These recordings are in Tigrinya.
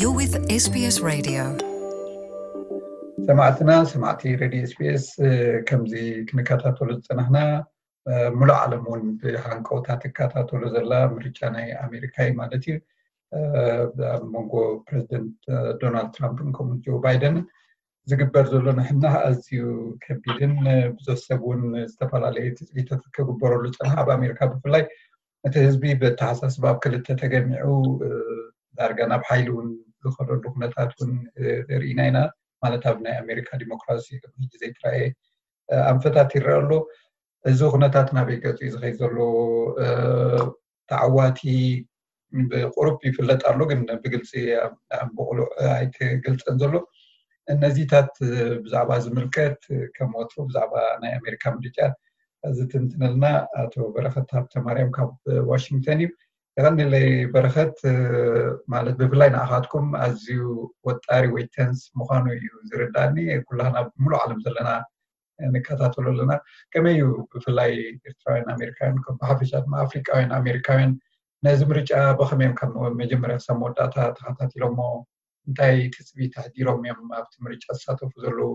You're with SBS Radio. ሰማዕትና ሰማዕቲ ሬድዮ ኤስቢኤስ፣ ከምዚ ክንከታተሉ ዝፀናሕና፣ ሙሉእ ዓለም እውን ብሃንቀውታ ትከታተሉ ዘላ ምርጫ ናይ ኣሜሪካ እዩ ማለት እዩ። ኣብ መንጎ ፕሬዚደንት ዶናልድ ትራምፕን ከምኡ ጆ ባይደንን ዝግበር ዘሎ ንሕና ኣዝዩ ከቢድን ብዙሕ ሰብ እውን ዝተፈላለየ ትፅቢታት ክግበረሉ ዝፀንሓ፣ ኣብ ኣሜሪካ ብፍላይ እቲ ህዝቢ ብኣተሓሳስባ ኣብ ክልተ ተገሚዑ ዳርጋ ናብ ሓይሊ እውን ዝኸደሉ ኩነታት እውን ርኢና ኢና። ማለት ኣብ ናይ ኣሜሪካ ዲሞክራሲ ቅድሚ ሕጂ ዘይተረኣየ ኣንፈታት ይረአ ኣሎ። እዚ ኩነታት ናበይ ገፁ እዩ ዝኸይድ ዘሎ? ተዓዋቲ ብቁሩብ ይፍለጥ ኣሎ፣ ግን ብግልፂ ብቁሉዕ ኣይተገልፀን ዘሎ። እነዚታት ብዛዕባ ዝምልከት ከም ወትሩ ብዛዕባ ናይ ኣሜሪካ ምርጫ ዝትንትነልና ኣቶ በረኸት ሃብተማርያም ካብ ዋሽንግተን እዩ። የቐንለይ በረኸት። ማለት ብፍላይ ንኣኻትኩም ኣዝዩ ወጣሪ ወይ ተንስ ምዃኑ እዩ ዝርዳኒ። ኩላህና ብምሉእ ዓለም ዘለና ንከታተሎ ኣለና። ከመይ እዩ ብፍላይ ኤርትራውያን ኣሜሪካውያን፣ ከም ብሓፈሻ ድማ ኣፍሪቃውያን ኣሜሪካውያን ነዚ ምርጫ ብኸመይ እዮም ካብ መጀመርያ ክሳብ መወዳእታ ተኸታቲሎሞ? እንታይ ትፅቢት ኣሕዲሮም እዮም ኣብቲ ምርጫ ዝሳተፉ ዘለዉ?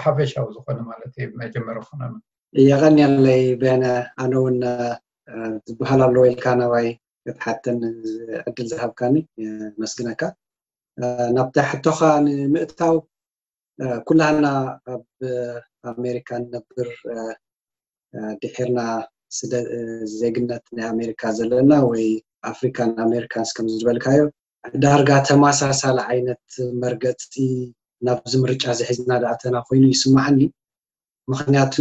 ሓፈሻዊ ዝኾነ ማለት እዩ መጀመርያ ክኾነና። የቐንየለይ ቤነ፣ ኣነ እውን ዝበሃል ኣለዎ ኢልካ ናባይ ክትሓተኒ ዕድል ዝሃብካኒ የመስግነካ። ናብታ ሕቶኻ ንምእታው፣ ኩላህና ኣብ ኣሜሪካ ንነብር፣ ድሒርና ዜግነት ናይ ኣሜሪካ ዘለና ወይ ኣፍሪካን ኣሜሪካንስ ከም ዝበልካዮ፣ ዳርጋ ተመሳሳሊ ዓይነት መርገፂ ናብዚ ምርጫ ዝሒዝና ዳኣተና ኮይኑ ይስማዓኒ። ምክንያቱ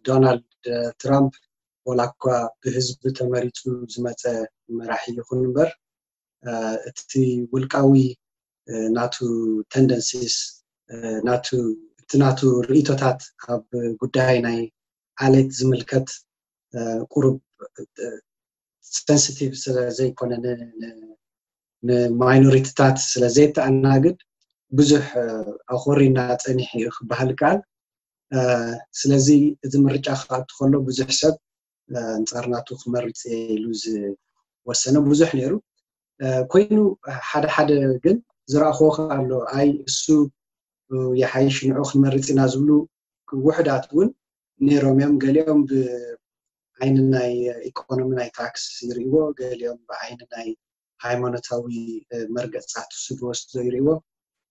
ዶናልድ ትራምፕ ወላ እኳ ብህዝቢ ተመሪፁ ዝመፀ መራሒ ይኹን እምበር፣ እቲ ውልቃዊ ናቱ ተንደንሲስ፣ ናቱ እቲ ናቱ ርእቶታት ኣብ ጉዳይ ናይ ዓሌት ዝምልከት ቁሩብ ሰንስቲቭ ስለ ዘይኮነ፣ ንማይኖሪቲታት ስለ ዘይተኣናግድ ብዙሕ ኣኾሪና ፀኒሑ እዩ ክበሃል ይከኣል። ስለዚ እዚ ምርጫ ክኣቱ ከሎ ብዙሕ ሰብ ኣንፃር ናቱ ክመርፅ እየ ኢሉ ዝወሰነ ብዙሕ ነይሩ። ኮይኑ ሓደ ሓደ ግን ዝረኣኽዎ ከ ኣሎ፣ ኣይ እሱ ይሓይሽ ንዑ ክንመርፅ ኢና ዝብሉ ውሕዳት እውን ነይሮም እዮም። ገሊኦም ብዓይኒ ናይ ኢኮኖሚ ናይ ታክስ ይርእይዎ፣ ገሊኦም ብዓይኒ ናይ ሃይማኖታዊ መርገፅታት እሱ ዝወስዶ ይርእይዎ።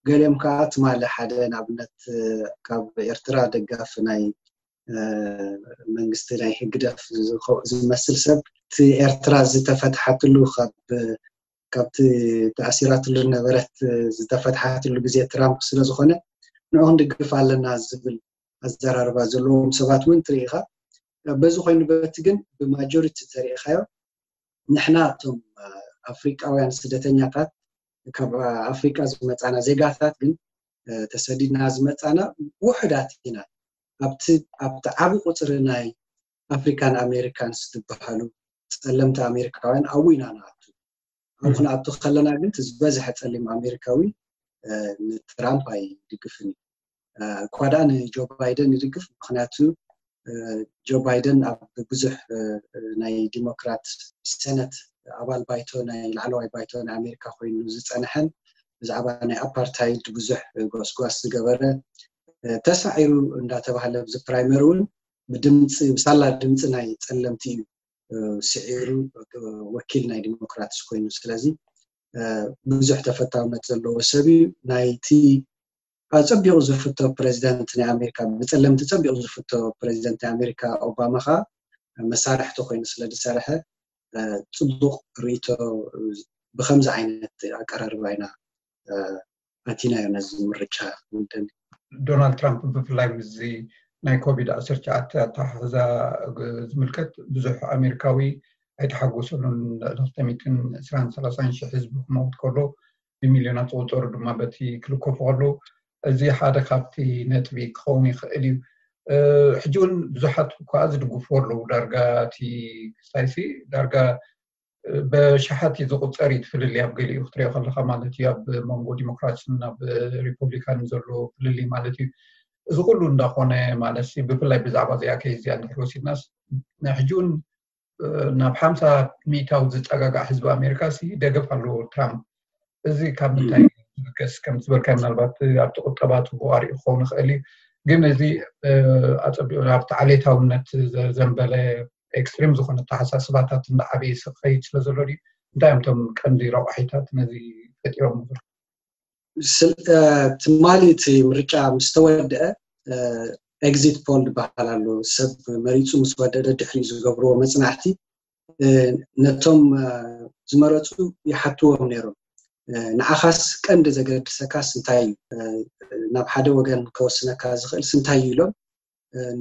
ገሊኦም ከዓ ትማሊ ሓደ ንኣብነት ካብ ኤርትራ ደጋፊ ናይ መንግስቲ ናይ ህግደፍ ዝመስል ሰብ እቲ ኤርትራ ዝተፈትሓትሉ ካብቲ ተኣሲራትሉ ነበረት ዝተፈትሓትሉ ግዜ ትራምፕ ስለዝኾነ ንዑ ክንድግፍ ኣለና ዝብል ኣዘራርባ ዘለዎም ሰባት እውን ትርኢ ኢኻ። በዚ ኮይኑ በቲ ግን ብማጆሪቲ ተሪኢኻዮ ንሕና እቶም ኣፍሪቃውያን ስደተኛታት ካብ ኣፍሪቃ ዝመፃና ዜጋታት ግን ተሰዲድና ዝመፃና ውሕዳት ኢና። ኣብቲ ኣብቲ ዓቢ ቁፅሪ ናይ ኣፍሪካን ኣሜሪካንስ ዝበሃሉ ፀለምቲ ኣሜሪካውያን ኣብኡ ኢና ንኣቱ። ኣብኡ ክንኣቱ ከለና ግን እቲ ዝበዝሐ ፀሊም ኣሜሪካዊ ንትራምፕ ኣይድግፍን እዩ። እኳ ደኣ ንጆ ባይደን ይድግፍ፣ ምክንያቱ ጆ ባይደን ኣብ ብዙሕ ናይ ዲሞክራት ሰነት ኣባል ባይቶ ናይ ላዕለዋይ ባይቶ ናይ ኣሜሪካ ኮይኑ ዝፀንሐን ብዛዕባ ናይ ኣፓርታይድ ብዙሕ ጎስጓስ ዝገበረ ተሳዒሩ እንዳተባሃለ ኣብዚ ፕራይመሪ እውን ብድምፂ ብሳላ ድምፂ ናይ ፀለምቲ እዩ ስዒሩ ወኪል ናይ ዲሞክራትስ ኮይኑ። ስለዚ ብዙሕ ተፈታውነት ዘለዎ ሰብ እዩ። ናይቲ ኣፀቢቑ ዝፍቶ ፕሬዚደንት ናይ ኣሜሪካ ብፀለምቲ ፀቢቑ ዝፍቶ ፕሬዚደንት ናይ ኣሜሪካ ኦባማ ከዓ መሳርሕቲ ኮይኑ ስለ ዝሰርሐ ፅቡቕ ርእቶ ብከምዚ ዓይነት ኣቀራርባ ኢና ኣቲናዮ ነዚ ምርጫ። ዶናልድ ትራምፕ ብፍላይ ምስዚ ናይ ኮቪድ ዓሰርተ ትሽዓተ ኣተሓሕዛ ዝምልከት ብዙሕ ኣሜሪካዊ ኣይተሓጎሰሉን። ልዕሊ ክልተ ሚእትን ዕስራን ሰላሳን ሽሕ ህዝቢ ክመውት ከሎ ብሚልዮናት ዝቁፀሩ ድማ በቲ ክልከፉ ከለዉ እዚ ሓደ ካብቲ ነጥቢ ክኸውን ይኽእል እዩ። ሕጂ እውን ብዙሓት እኳ ዝድግፍዎ ኣለዉ። ዳርጋ እቲ ክስታይሲ ዳርጋ በሽሓት እዩ ዝቁፀር እዩ። ትፍልልይ ኣብ ገሊኡ ክትሪኦ ከለካ ማለት እዩ ኣብ መንጎ ዲሞክራትን ኣብ ሪፐብሊካን ዘሎ ፍልልይ ማለት እዩ። እዚ ኩሉ እንዳኮነ ማለት ብፍላይ ብዛዕባ እዚኣ ከይዝ እዚኣ እንድሕር ወሲድናስ ናይ ሕጂ እውን ናብ ሓምሳ ሚእታዊ ዝፀጋጋዕ ህዝቢ ኣሜሪካ ሲ ደገፍ ኣለዎ ትራምፕ። እዚ ካብ ምንታይ ገስ ከም ዝበልካ ምናልባት ኣብቲ ቁጠባ ጽቡቅ ኣርእዩ ክኸውን ይኽእል እዩ። ግን እዚ ኣጸቢቑ ኣብቲ ዓሌታውነት ዘዘንበለ ኤክስትሪም ዝኾነ ኣተሓሳስባታት እንዳዓበየ ክኸይድ ስለ ዘሎ ድዩ? እንታይ እዮም እቶም ቀንዲ ረቋሒታት ነዚ ፈጢሮም? ትማሊ እቲ ምርጫ ምስ ተወደአ ኤግዚት ፖል ዝበሃል ኣሎ። ሰብ መሪፁ ምስ ወደደ ድሕሪ ዝገብርዎ መፅናዕቲ ነቶም ዝመረፁ ይሓትዎም ነይሮም። ንዓኻስ ቀንዲ ዘገድሰካስ እንታይ እዩ? ናብ ሓደ ወገን ከወስነካ ዝኽእል እንታይ እዩ ኢሎም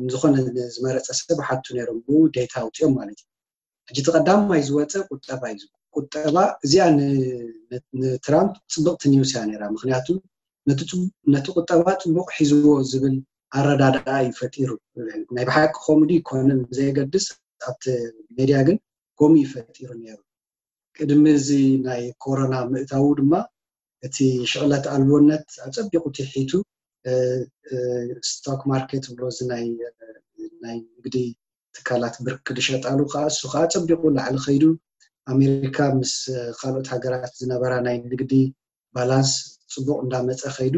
ንዝኾነ ዝመረፀ ሰብ ሓቱ ነይሮም። ብኡ ዴታ ኣውፅኦም ማለት እዩ። ሕጂ እቲ ቀዳማይ ዝወፀ ቁጠባ እዩ። ቁጠባ እዚኣ ንትራምፕ ፅብቕቲ ኒውስ እያ ነይራ። ምክንያቱ ነቲ ቁጠባ ፅቡቕ ሒዝዎ ዝብል ኣረዳድኣ እዩ ፈጢሩ። ናይ ብሓቂ ኮሙዲ ይኮንን ብዘየገድስ ኣብቲ ሜድያ ግን ኮሚ እዩ ፈጢሩ ነይሩ። ቅድሚ እዚ ናይ ኮሮና ምእታዉ ድማ እቲ ሽቕለት ኣልቦነት ኣፀቢቑ ትሒቱ፣ ስቶክ ማርኬት ብሎ እዚ ናይ ንግዲ ትካላት ብርክ ዝሸጣሉ ከዓ እሱ ከዓ ኣፀቢቑ ላዕሊ ከይዱ፣ ኣሜሪካ ምስ ካልኦት ሃገራት ዝነበራ ናይ ንግዲ ባላንስ ፅቡቕ እንዳመፀ ከይዱ፣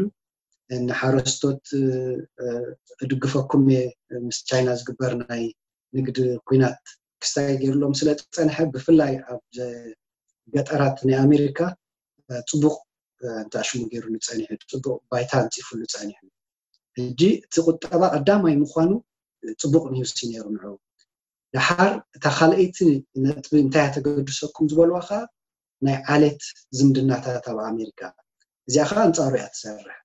ንሓረስቶት እድግፈኩም እየ ምስ ቻይና ዝግበር ናይ ንግዲ ኩናት ክስታይ ገይርሎም ስለ ዝፀንሐ፣ ብፍላይ ኣብ ገጠራት ናይ ኣሜሪካ ፅቡቕ እንተኣሽሙ ገይሩሉ ፀኒሑ፣ ፅቡቕ ባይታ ኣንፂፉሉ ፀኒሑ። ሕጂ እቲ ቁጠባ ቀዳማይ ምዃኑ ፅቡቕ ኒውስ እዩ ነይሩ ንዑ። ደሓር እታ ካልኣይቲ ነጥቢ እንታይ እያ ተገድሰኩም ዝበልዋ ከዓ ናይ ዓሌት ዝምድናታት ኣብ ኣሜሪካ፣ እዚኣ ከዓ ኣንፃሩ እያ ትሰርሕ።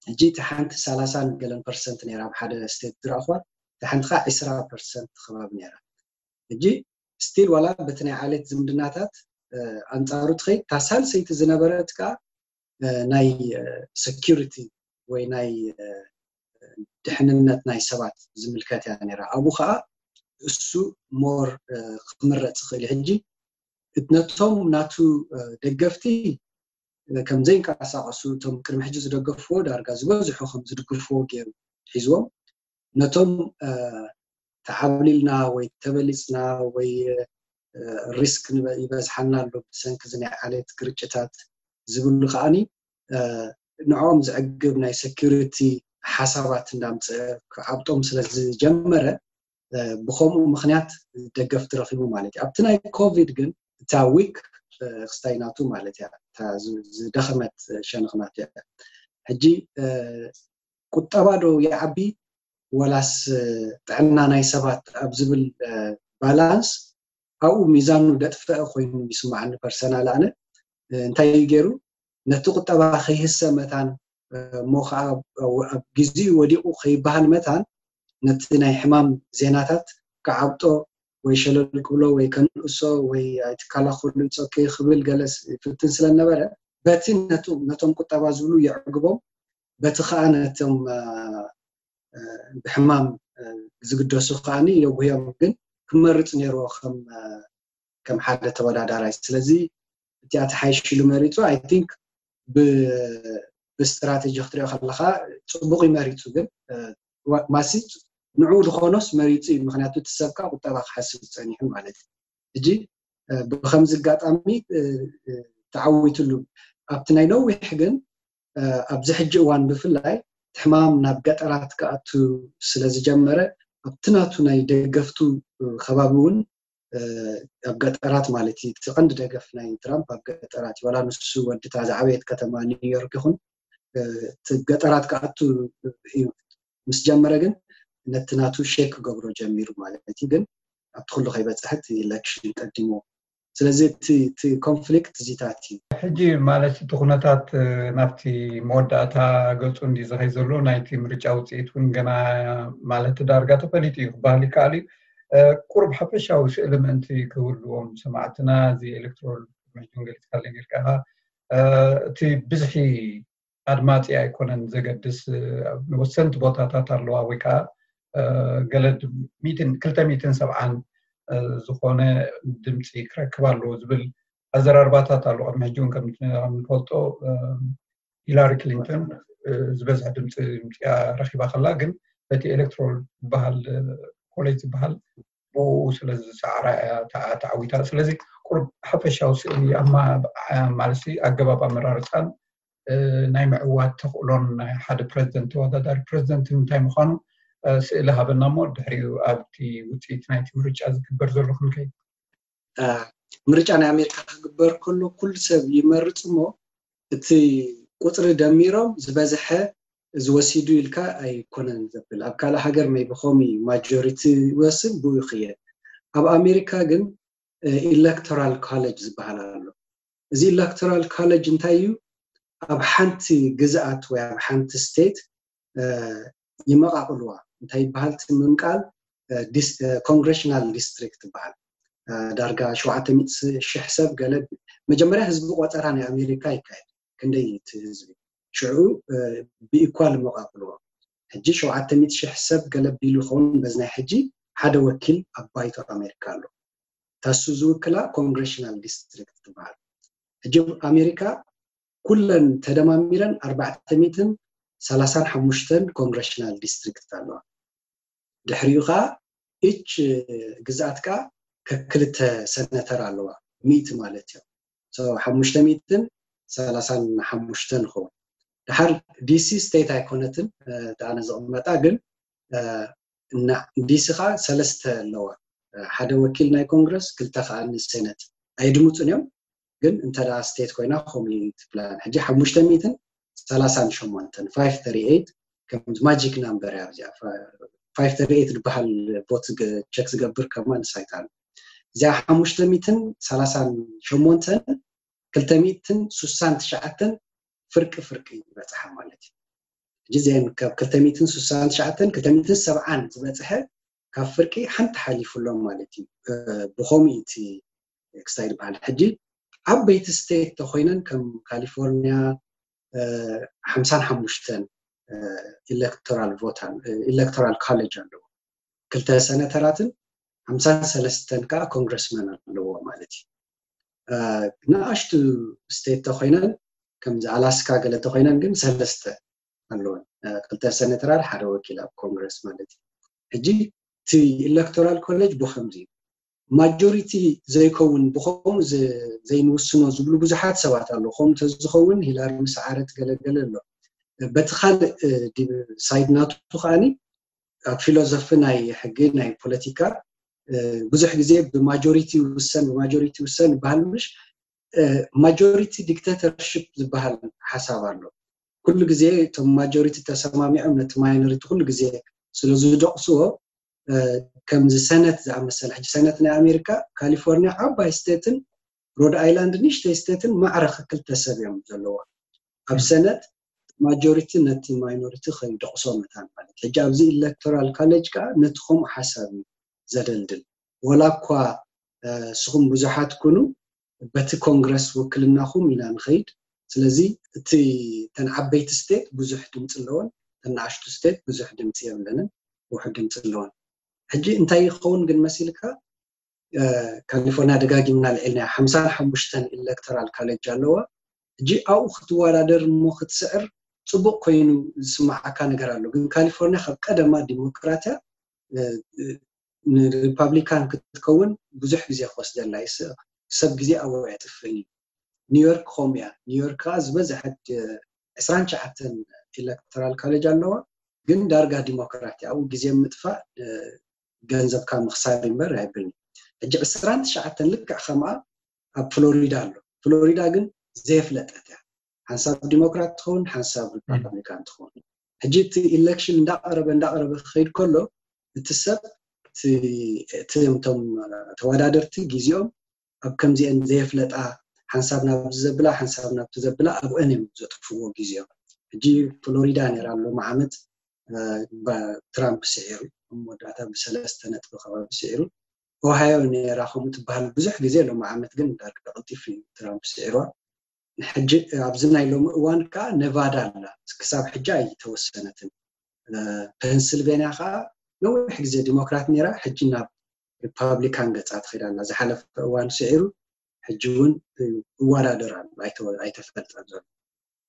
ሕጂ እቲ ሓንቲ ሰላሳን ገለን ፐርሰንት ነይራ ኣብ ሓደ ስቴት ዝረእኽዋ፣ እቲ ሓንቲ ከዓ ዕስራ ፐርሰንት ከባቢ ነይራ። ሕጂ ስቲል ዋላ በቲ ናይ ዓሌት ዝምድናታት ኣንፃሩ ትኸይድ፣ እታ ሳልሰይቲ ዝነበረት ከዓ ናይ ሰኪሪቲ ወይ ናይ ድሕንነት ናይ ሰባት ዝምልከት እያ ነይራ። ኣብኡ ከዓ እሱ ሞር ክምረፅ ይኽእል እዩ። ሕጂ ነቶም ናቱ ደገፍቲ ከም ዘይንቀሳቀሱ፣ እቶም ቅድሚ ሕጂ ዝደገፍዎ ዳርጋ ዝበዝሑ ከም ዝድግፍዎ ገይሩ ሒዝዎም፣ ነቶም ተዓብሊልና ወይ ተበሊፅና ወይ ሪስክ ይበዝሓና ኣሎ ብሰንኪ እዚ ናይ ዓሌት ግርጭታት ዝብሉ ከዓኒ ንዕኦም ዘዕግብ ናይ ሰኪሪቲ ሓሳባት እንዳምፀ ክዓብጦም ስለ ዝጀመረ፣ ብከምኡ ምክንያት ደገፍቲ ረኪቡ ማለት እዩ። ኣብቲ ናይ ኮቪድ ግን እታ ዊክ ክስታይ ናቱ ማለት እያ፣ እታ ዝደኸመት ሸነኽ ናቱ እያ። ሕጂ ቁጠባ ዶ ይዓቢ ወላስ ጥዕና ናይ ሰባት ኣብ ዝብል ባላንስ ኣብኡ ሚዛኑ ደጥፈአ ኮይኑ ይስማዓኒ ፐርሰናል። ኣነ እንታይ እዩ ገይሩ ነቲ ቁጠባ ከይህሰ መታን እሞ ከዓ ኣብ ግዜኡ ወዲቑ ከይበሃል መታን ነቲ ናይ ሕማም ዜናታት ክዓብጦ ወይ ሸለል ክብሎ ወይ ከንእሶ ወይ ኣይትከላኸሉ ይፀኪ ክብል ገለስ ይፍትን ስለነበረ በቲ ነቶም ቁጠባ ዝብሉ የዕግቦም፣ በቲ ከዓ ነቶም ብሕማም ዝግደሱ ከዓኒ የጉህዮም። ግን ክመርፅ ነይርዎ ከም ሓደ ተወዳዳራይ። ስለዚ እቲኣ ተሓይሽሉ መሪፁ። ኣይ ቲንክ ብስትራቴጂ ክትሪኦ ከለካ ፅቡቅ እዩ መሪፁ። ግን ማሲ ንዕኡ ዝኾኖስ መሪፁ እዩ። ምክንያቱ እቲ ሰብካ ቁጠባ ክሓስብ ፀኒሑ ማለት እዩ። ሕጂ ብከምዚ ኣጋጣሚ ተዓዊትሉ። ኣብቲ ናይ ነዊሕ ግን ኣብዚ ሕጂ እዋን ብፍላይ ሕማም ናብ ገጠራት ክኣቱ ስለ ዝጀመረ ኣብቲ ናቱ ናይ ደገፍቱ ከባቢ እውን ኣብ ገጠራት ማለት እዩ። እቲ ቀንዲ ደገፍ ናይ ትራምፕ ኣብ ገጠራት እዩ። ዋላ ንሱ ወዲ እታ ዝዓበየት ከተማ ኒውዮርክ ይኹን እቲ ገጠራት ክኣቱ እዩ ምስ ጀመረ ግን ነቲ ናቱ ሼክ ክገብሮ ጀሚሩ ማለት እዩ። ግን ኣብቲ ኩሉ ከይበፅሐ እቲ ኢለክሽን ቀዲሞ። ስለዚ እቲ ኮንፍሊክት እዚታት እዩ። ሕጂ ማለት እቲ ኩነታት ናብቲ መወዳእታ ገፁ እንዲ ዝኸይ ዘሎ ናይቲ ምርጫ ውፅኢት እውን ገና ማለት ዳርጋ ተፈሊጡ እዩ ክበሃል ይከኣል እዩ። ቁሩብ ሓፈሻዊ ስእሊ ምእንቲ ክህልዎም ሰማዕትና እዚ ኤሌክትሮል መሕጁን ገሊፅካለ ነርካ እቲ ብዝሒ ኣድማፂ ኣይኮነን ዘገድስ። ወሰንቲ ቦታታት ኣለዋ ወይ ከዓ ገለ ክልተ ሚእትን ሰብዓን ዝኾነ ድምፂ ክረክብ ኣለዎ ዝብል ኣዘራርባታት ኣሎ። ቅድሚ ሕጂ እውን ከም ንፈልጦ ሂላሪ ክሊንተን ዝበዝሐ ድምፂ ምፅያ ረኪባ ከላ ግን በቲ ኤሌክትሮል ዝበሃል ኮሌጅ ዝበሃል ብኡ ስለ ዝሰዓራ እያ ተዓዊታ። ስለዚ ቁሩብ ሓፈሻዊ ስእሊ ማለት ኣገባብ ኣመራርፃን ናይ ምዕዋት ተኽእሎን ናይ ሓደ ፕረዚደንት፣ ተወዳዳሪ ፕረዚደንት እንታይ ምዃኑ ስእሊ ሃበና እሞ ድሕሪኡ ኣብቲ ውፅኢት ናይቲ ምርጫ ዝግበር ዘሎ ክንከይድ። ምርጫ ናይ ኣሜሪካ ክግበር ከሎ ኩሉ ሰብ ይመርፅ እሞ እቲ ቁፅሪ ደሚሮም ዝበዝሐ ዝወሲዱ ኢልካ ኣይኮነን ዘብል። ኣብ ካልእ ሃገር maybe ኾሚ ማጆሪቲ ይወስን ብኡ ይኽየድ። ኣብ ኣሜሪካ ግን electoral college ዝበሃል ኣሎ። እዚ electoral college እንታይ እዩ? ኣብ ሓንቲ ግዝኣት ወይ ኣብ ሓንቲ ስቴት ይመቓቕልዋ። እንታይ ይበሃል እቲ ምምቃል? ኮንግሬሽናል ዲስትሪክት ይበሃል። ዳርጋ ሸውዓተ ሚእቲ ሺሕ ሰብ ገለ። መጀመርያ ህዝቢ ቆፀራ ናይ ኣሜሪካ ይካየድ። ክንደይ እቲ ህዝቢ ሽዑ ብኢኳል ይመቓቕልዎ። ሕጂ ሸውዓተ ሚእቲ ሺሕ ሰብ ገለ ቢሉ ይኸውን። በዚ ናይ ሕጂ ሓደ ወኪል ኣብ ባይቶ ኣሜሪካ ኣሎ። ታሱ ዝውክላ ኮንግሬሽናል ዲስትሪክት ትበሃል። ሕጂ ኣሜሪካ ኩለን ተደማሚረን ኣርባዕተ ሚእትን ሰላሳን ሓሙሽተን ኮንግሬሽናል ዲስትሪክት ኣለዋ። ድሕሪኡ ከዓ ኢች ግዝኣት ከዓ ከክልተ ሰነተር ኣለዋ፣ ሚእቲ ማለት እዮም። ሓሙሽተ ሚእትን ሰላሳን ሓሙሽተን ይኸውን። ድሓር ዲሲ ስቴት ኣይኮነትን፣ ኣነ ዝቕመጣ ግን እና ዲሲ ከዓ ሰለስተ ኣለዋ። ሓደ ወኪል ናይ ኮንግረስ፣ ክልተ ከዓ ንሴነት። ኣይድምፁን እዮም፣ ግን እንተ ስቴት ኮይና ከምኡ ትብላን። ሕጂ ሓሙሽተ ሚእትን ሰላሳን ሸሞንተን፣ ፋይቭ ተርቲ ኤይት፣ ከም ማጂክ ናምበር እያ እዚኣ። ፋይቭ ተርቲ ኤይት ዝበሃል ቦት ቸክ ዝገብር ከማ ንሳይት ኣሎ። እዚኣ ሓሙሽተ ሚእትን ሰላሳን ሸሞንተን፣ ክልተ ሚእትን ስሳን ትሽዓተን ፍርቂ ፍርቂ ይበፅሓ ማለት እዩ። ሕጂ እዚአን ካብ ክልተ ሚእትን ስሳን ትሽዓተን፣ ክልተ ሚእትን ሰብዓን ዝበፅሐ ካብ ፍርቂ ሓንቲ ሓሊፉሎም ማለት እዩ። ብኸምኡ እቲ ክስታይ ዝበሃል። ሕጂ ዓበይቲ ስቴት ተኮይነን ከም ካሊፎርኒያ ሓምሳን ሓሙሽተን ኢሌክቶራል ቮት፣ ኢሌክቶራል ኮሌጅ ኣለዎ። ክልተ ሰነተራትን ሓምሳን ሰለስተን ከዓ ኮንግረስመን ኣለዎ ማለት እዩ። ንኣሽቱ ስቴት ተኮይነን፣ ከምዚ ኣላስካ ገለ ተኮይነን ግን ሰለስተ ኣለወን። ክልተ ሰነተራት፣ ሓደ ወኪል ኣብ ኮንግረስ ማለት እዩ። ሕጂ እቲ ኢሌክቶራል ኮሌጅ ብከምዚ እዩ። ማጆሪቲ ዘይከውን ብከምኡ ዘይንውስኖ ዝብሉ ብዙሓት ሰባት ኣለዉ። ከምኡ ተዝኸውን ሂላሪ ምስ ዓረት ገለገለ ኣሎ። በቲ ካልእ ሳይድ ናቱ ከዓኒ ኣብ ፊሎዞፊ ናይ ሕጊ ናይ ፖለቲካ ብዙሕ ግዜ ብማጆሪቲ ይውሰን፣ ብማጆሪቲ ይውሰን ይበሃል። ምሽ ማጆሪቲ ዲክቴተርሽፕ ዝበሃል ሓሳብ ኣሎ። ኩሉ ግዜ እቶም ማጆሪቲ ተሰማሚዖም ነቲ ማይኖሪቲ ኩሉ ግዜ ስለ ዝደቕስዎ፣ ከምዚ ሰነት ዝኣመሰለ፣ ሕጂ ሰነት ናይ ኣሜሪካ፣ ካሊፎርኒያ ዓባይ ስቴትን ሮድ ኣይላንድ ንእሽተይ ስቴትን ማዕረ ክልተ ሰብ እዮም ዘለዋ። ኣብ ሰነት ማጆሪቲ ነቲ ማይኖሪቲ ከይደቕሶ መታን ማለት። ሕጂ ኣብዚ ኢሌክቶራል ካሌጅ ከዓ ነቲ ከምኡ ሓሳብ እዩ ዘደልድል። ወላ እኳ ንስኹም ብዙሓት ኩኑ፣ በቲ ኮንግረስ ውክልናኹም ኢና ንኸይድ። ስለዚ እቲ፣ እተን ዓበይቲ ስቴት ብዙሕ ድምፂ ኣለወን፣ እተን ንኣሽቱ ስቴት ብዙሕ ድምፂ የብለንን፣ ውሑድ ድምፂ ኣለወን። ሕጂ እንታይ ይኸውን ግን መሲልካ? ካሊፎርኒያ ደጋጊምና ልዕልና ሓምሳን ሓሙሽተን ኢሌክቶራል ካሌጅ ኣለዋ። ሕጂ ኣብኡ ክትወዳደር እሞ ክትስዕር ፅቡቅ ኮይኑ ዝስማዓካ ነገር ኣሎ። ግን ካሊፎርኒያ ካብ ቀደማ ዲሞክራትያ ንሪፓብሊካን ክትከውን ብዙሕ ግዜ ክወስደላ እዩ። ሰብ ግዜ ኣብኡ የጥፍእ እዩ። ኒውዮርክ ከምኡ እያ። ኒውዮርክ ከዓ ዝበዝሐ ዕስራን ትሽዓተን ኢሌክቶራል ካሌጅ ኣለዋ፣ ግን ዳርጋ ዲሞክራት እያ። ኣብኡ ግዜ ምጥፋእ ገንዘብካ ምኽሳር እምበር ኣይብልን። ሕጂ ዕስራን ትሽዓተን ልክዕ ከምኣ ኣብ ፍሎሪዳ ኣሎ። ፍሎሪዳ ግን ዘየፍለጠት እያ። ሓንሳብ ዲሞክራት ትኸውን፣ ሓንሳብ ሪፓብሊካን ትኸውን። ሕጂ እቲ ኢሌክሽን እንዳቐረበ እንዳቐረበ ክኸይድ ከሎ እቲ ሰብ እቲ እቶም ተወዳደርቲ ግዜኦም ኣብ ከምዚአን ዘየፍለጣ፣ ሓንሳብ ናብዚ ዘብላ ሓንሳብ ናብቲ ዘብላ ኣብአን እዮም ዘጥፍዎ ግዜኦም። ሕጂ ፍሎሪዳ ነይራ ሎሚ ዓመት ትራምፕ ስዒሩ፣ ኣብ መወዳእታ ብሰለስተ ነጥቢ ከባቢ ስዒሩ። ኦሃዮ ነይራ ከምኡ ትበሃል ብዙሕ ግዜ፣ ሎሚ ዓመት ግን ዳርጋ ቀልጢፉ እዩ ትራምፕ ስዒርዋ። ሕጂ ኣብዚ ናይ ሎሚ እዋን ከዓ ኔቫዳ ኣላ፣ ክሳብ ሕጂ ኣይተወሰነትን። ፔንስልቬንያ ከዓ ነዊሕ ግዜ ዲሞክራት ነይራ፣ ሕጂ ናብ ሪፓብሊካን ገፃ ትኸይድ ኣላ። ዝሓለፈ እዋን ስዒሩ ሕጂ እውን ይወዳደር ኣሎ፣ ኣይተፈልጠን ዘሎ።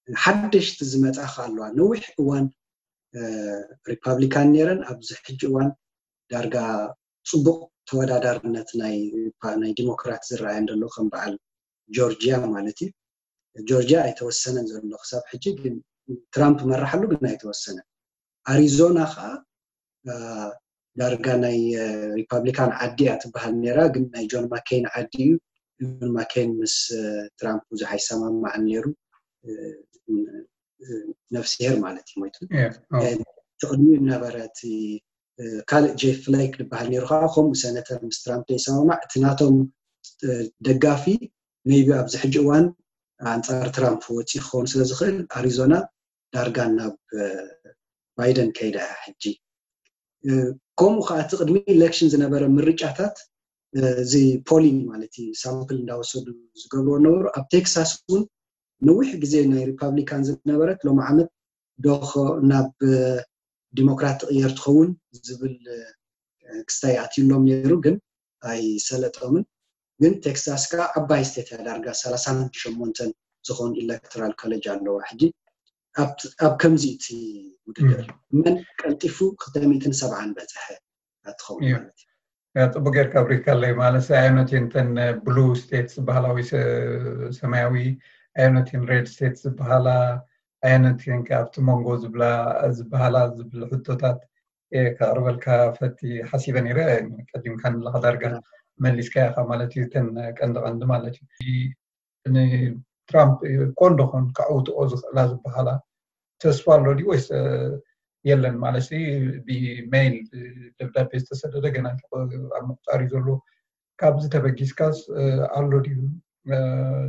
ሓደሽቲ ዝመፃ ከዓ ኣለዋ። ነዊሕ እዋን ሪፓብሊካን ነይረን፣ ኣብዚ ሕጂ እዋን ዳርጋ ፅቡቅ ተወዳዳርነት ናይ ዲሞክራት ዝረኣየን ዘሎ ከም በዓል ጆርጂያ ማለት እዩ። ጆርጂያ ኣይተወሰነን ዘሎ ክሳብ ሕጂ፣ ግን ትራምፕ መራሓሉ ግን ኣይተወሰነን። ኣሪዞና ከዓ ዳርጋ ናይ ሪፓብሊካን ዓዲ እያ ትበሃል ነይራ፣ ግን ናይ ጆን ማኬን ዓዲ እዩ። ጆን ማኬን ምስ ትራምፕ ብዙሕ ኣይሰማማዕን ነይሩ። ነፍስሄር ማለት እዩ ሞይቱ። ትቕድሚኡ ነበረ እቲ ካልእ ጄፍ ፍሌክ ዝበሃል ነይሩ ከዓ ከምኡ ሰነተር ምስ ትራምፕ ዘይሰማማዕ እቲ ናቶም ደጋፊ maybe ኣብዚ ሕጂ እዋን ኣንፃር ትራምፕ ወፂኡ ክኸውን ስለ ዝኽእል ኣሪዞና ዳርጋ ናብ ባይደን ከይዳ እያ ሕጂ። ከምኡ ከዓ እቲ ቅድሚ ኢሌክሽን ዝነበረ ምርጫታት እዚ ፖሊንግ ማለት እዩ ሳምፕል እንዳወሰዱ ዝገብርዎ ነበሩ። ኣብ ቴክሳስ እውን ነዊሕ ግዜ ናይ ሪፓብሊካን ዝነበረት ሎም ዓመት ዶ ናብ ዲሞክራት ትቕየር ትኸውን ዝብል ክስታይ ኣትዩሎም ነይሩ፣ ግን ኣይሰለጦምን። ግን ቴክሳስ ከዓ ዓባይ ስቴት እያ፣ ዳርጋ ሰላሳን ሸሞንተን ዝኾኑ ኤሌክቶራል ኮሌጅ ኣለዋ። ሕጂ ኣብ ከምዚ እቲ ውድድር መን ቀልጢፉ ክልተ ሚእትን ሰብዓን በፅሐ ትኸውን ማለት እዩ። ፅቡቅ ጌርካ ኣብሪካለይ ማለት ኣየኖት እየን እተን ብሉ ስቴትስ ዝበሃላ ወይ ሰማያዊ ኣየኖት እየን ሬድ ስቴትስ ዝበሃላ ኣየኖት እየን ኣብቲ መንጎ ዝብላ ዝበሃላ ዝብል ሕቶታት ከቅርበልካ ፈቲ ሓሲበ ነይረ። ቀዲምካ ንለካ ዳርጋ መሊስካ ኢካ ማለት እዩ። እተን ቀንዲ ቀንዲ ማለት እዩ ንትራምፕ ቆንዶ ኮን ከዕውትኦ ዝኽእላ ዝበሃላ ተስፋ ኣሎ ድዩ ወይስ የለን? ማለት ብሜይል ደብዳቤ ዝተሰደደ ገና ኣብ ምቁፃር እዩ ዘሎ። ካብዚ ተበጊስካስ ኣሎ ድዩ?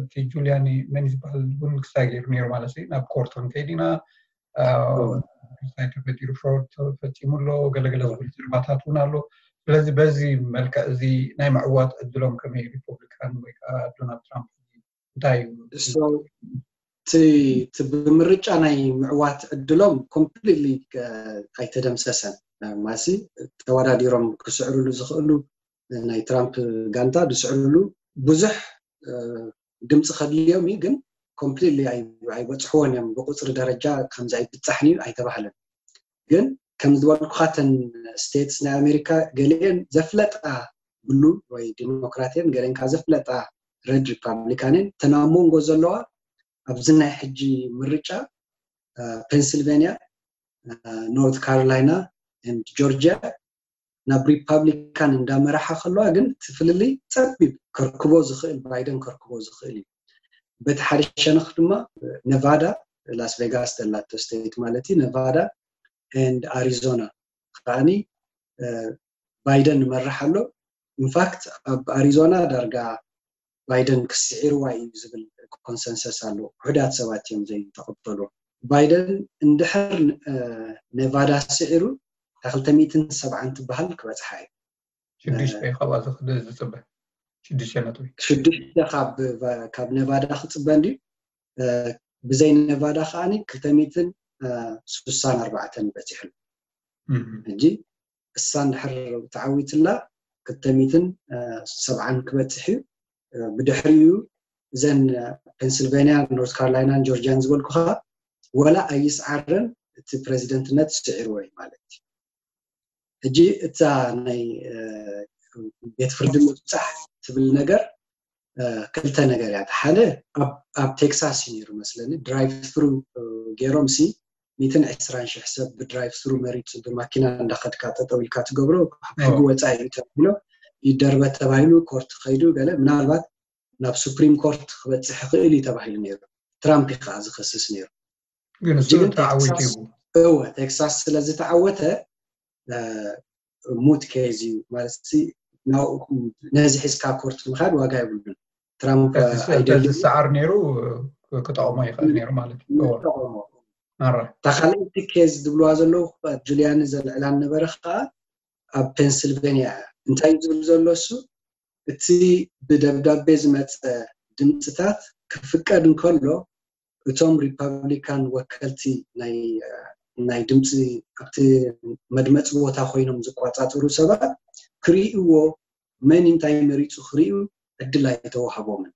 እቲ ጁሊያኒ መን ዝበሃል እውን ክስታይ ገይሩ ነይሩ ማለት ናብ ኮርት ክንከይድ ኢና፣ ክስታይ ተፈጢሩ ፍሮድ ተፈፂሙ ኣሎ ገለገለ ዝብል ዘረባታት እውን ኣሎ። ስለዚ በዚ መልክዕ እዚ ናይ ምዕዋት ዕድሎም ከመይ ሪፐብሊካን ወይ ከዓ ዶናልድ ትራምፕ እንታይ እዩ? እቲ ብምርጫ ናይ ምዕዋት ዕድሎም ኮምፕሊትሊ ኣይተደምሰሰን። ማሲ ተወዳዲሮም ክስዕርሉ ዝኽእሉ ናይ ትራምፕ ጋንታ ዝስዕርሉ ብዙሕ ድምፂ ከድልዮም እዩ፣ ግን ኮምፕሊትሊ ኣይበፅሕዎን እዮም። ብቁፅሪ ደረጃ ከምዚ ኣይብፃሕን እዩ ኣይተባህለን። ግን ከም ዝበልኩካ ተን ስቴትስ ናይ ኣሜሪካ ገሊአን ዘፍለጣ ብሉ ወይ ዲሞክራትየን ገሊአን ከዓ ዘፍለጣ ረድ ሪፓብሊካንን ተን ኣብ መንጎ ዘለዋ ኣብዚ ናይ ሕጂ ምርጫ ፔንስልቬንያ፣ ኖርት ካሮላይና፣ ጆርጂያ ናብ ሪፓብሊካን እንዳመራሓ ከለዋ ግን እቲ ፍልልይ ፀቢብ ከርክቦ ዝኽእል ባይደን ከርክቦ ዝኽእል እዩ። በቲ ሓደ ሸነኽ ድማ ነቫዳ ላስ ቬጋስ ዘላቶ ስቴት ማለት እዩ ነቫዳ and ኣሪዞና ከዓኒ ባይደን ይመርሕ ኣሎ። ኢንፋክት ኣብ ኣሪዞና ዳርጋ ባይደን ክስዒርዋ እዩ ዝብል ኮንሰንሰስ ኣሎ። ውሑዳት ሰባት እዮም ዘይተቐበሉ። ባይደን እንድሕር ነቫዳ ስዒሩ እታ ክልተ ሚእትን ሰብዓን ትበሃል ክበፅሓ እዩ። ሽዱሽተ እዩ ካብኣ ዝኽእል ዝፅበ ሽዱሽተ ነጥቢ ሽዱሽተ ካብ ነቫዳ ክፅበ እንድዩ። ብዘይ ነቫዳ ከዓኒ ክልተ ሚእትን ስሳን ኣርባዕተን በፂሑ። ሕጂ እሳ እንድሕር ተዓዊትላ ክልተ ሚእትን ሰብዓን ክበፅሕ እዩ። ብድሕሪኡ እዘን ፔንስልቬንያ፣ ኖርት ካሮላይናን ጆርጂያን ዝበልኩኻ ወላ ኣይስዓረን እቲ ፕሬዚደንትነት ስዒርዎ እዩ ማለት እዩ። ሕጂ እታ ናይ ቤት ፍርዲ ምብፃሕ ትብል ነገር ክልተ ነገር እያ። ሓደ ኣብ ቴክሳስ እዩ ነይሩ መስለኒ ድራይቭ ትሩ ገይሮም ሲ ሚትን ዕስራን ሽሕ ሰብ ብድራይቭ ትሩ መሪፁ ብማኪና እንዳኸድካ ጠጠው ኢልካ ትገብሮ ሕጊ ወፃኢ እዩ ተባሂሎ ይደርበ ተባሂሉ ኮርት ከይዱ ገለ ምናልባት ናብ ሱፕሪም ኮርት ክበፅሕ ይኽእል እዩ ተባሂሉ ነይሩ። ትራምፕ እዩ ከዓ ዝኸስስ ነይሩ። ግን እሱ ተዓዊቱ እዩ። እወ ቴክሳስ ስለዝተዓወተ ሙት ኬዝ እዩ ማለት ነዚ ሒዝካ ኮርት ምኻድ ዋጋ የብሉን። ትራምፕ ተዝሰዓር ነይሩ ክጠቕሞ ይኽእል ነይሩ ማለት እዩ። እታ ካልኣይቲ ኬዝ ዝብልዋ ዘለዉ ጁሊያኒ ዘልዕላ ነበረ ከዓ ኣብ ፔንስልቬንያ እያ። እንታይ ዝብል ዘሎ እሱ እቲ ብደብዳቤ ዝመፀ ድምፅታት ክፍቀድ እንከሎ እቶም ሪፓብሊካን ወከልቲ ናይ ድምፂ ኣብቲ መድመፂ ቦታ ኮይኖም ዝቆፃፀሩ ሰባት ክርእይዎ መን እንታይ መሪፁ ክርእዩ ዕድል ኣይተዋህቦምን።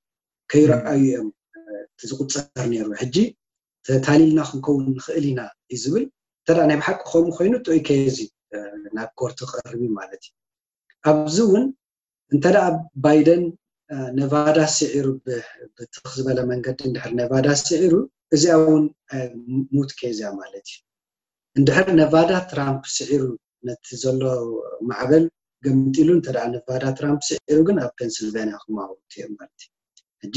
ከይረኣዩ እዮም እቲ ዝቁፀር ነይሩ። ሕጂ ተታሊልና ክንከውን ንኽእል ኢና እዩ ዝብል። እንተ ናይ ብሓቂ ከምኡ ኮይኑ ጥዑይ ኬዝ እዩ ናብ ኮርት ክቐርብ እዩ ማለት እዩ። ኣብዚ እውን እንተ ባይደን ነቫዳ ስዒሩ ብትኽ ዝበለ መንገዲ እንድሕር ነቫዳ ስዒሩ እዚኣ እውን ሙት ኬዝ እያ ማለት እዩ። እንድሕር ነቫዳ ትራምፕ ስዒሩ ነቲ ዘሎ ማዕበል ገምጢሉ እንተ ነቫዳ ትራምፕ ስዒሩ ግን ኣብ ፔንስልቬንያ ክማውት እዮም ማለት እዩ። ሕጂ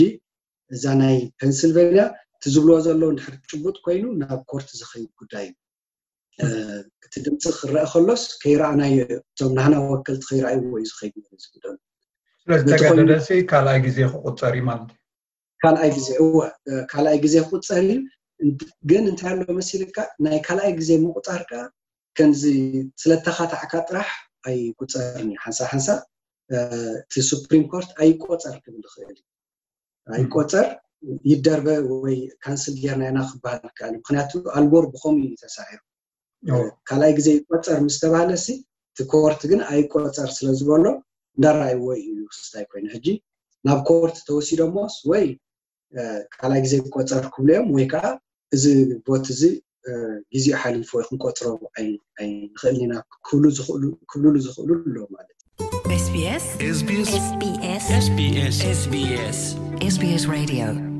እዛ ናይ ፔንስልቬንያ እቲ ዝብልዎ ዘለዉ እንድሕር ጭቡጥ ኮይኑ ናብ ኮርት ዝኸይድ ጉዳይ እዩ። እቲ ድምፂ ክረአ ከሎስ ከይረኣናዮ እቶም ናህና ወከልቲ ከይረኣይዎ እዩ ዝኸይድ ነሩ ዝግደሉ። ስለዝተጋደደሲ ካልኣይ ግዜ ክቁፀር እዩ ማለት እዩ። ካልኣይ ግዜ እወ ካልኣይ ግዜ ክቁፀር እዩ። ግን እንታይ ኣሎ መሲልካ ናይ ካልኣይ ግዜ ምቁፃር ከዓ ከምዚ ስለተኻታዕካ ጥራሕ ኣይቁፀርን እዩ። ሓንሳ ሓንሳ እቲ ሱፕሪም ኮርት ኣይቆፀር ክብል ይኽእል እዩ። ኣይቆፀር ይደርበ ወይ ካንስል ጌርና ኢና ክበሃል ይከኣል። ምክንያቱ ኣልጎር ብኸምኡ እዩ ተሳዒሩ። ካልኣይ ግዜ ይቆፀር ምስ ተባሃለ ሲ እቲ ኮርት ግን ኣይቆፀር ስለ ዝበሎ እንዳረኣይዎ እዩ ክስታይ ኮይኑ። ሕጂ ናብ ኮርት ተወሲዶሞስ ወይ ካልኣይ ግዜ ይቆፀር ክብሉ እዮም ወይ ከዓ እዚ ቮት እዚ ግዜኡ ሓሊፉ ወይ ክንቆፅሮ ኣይንኽእልን ኢና ክብሉ ዝኽእሉ ክብሉሉ ዝኽእሉ ኣለዉ ማለት እዩ። SBS SBS SBS SBS SBS Radio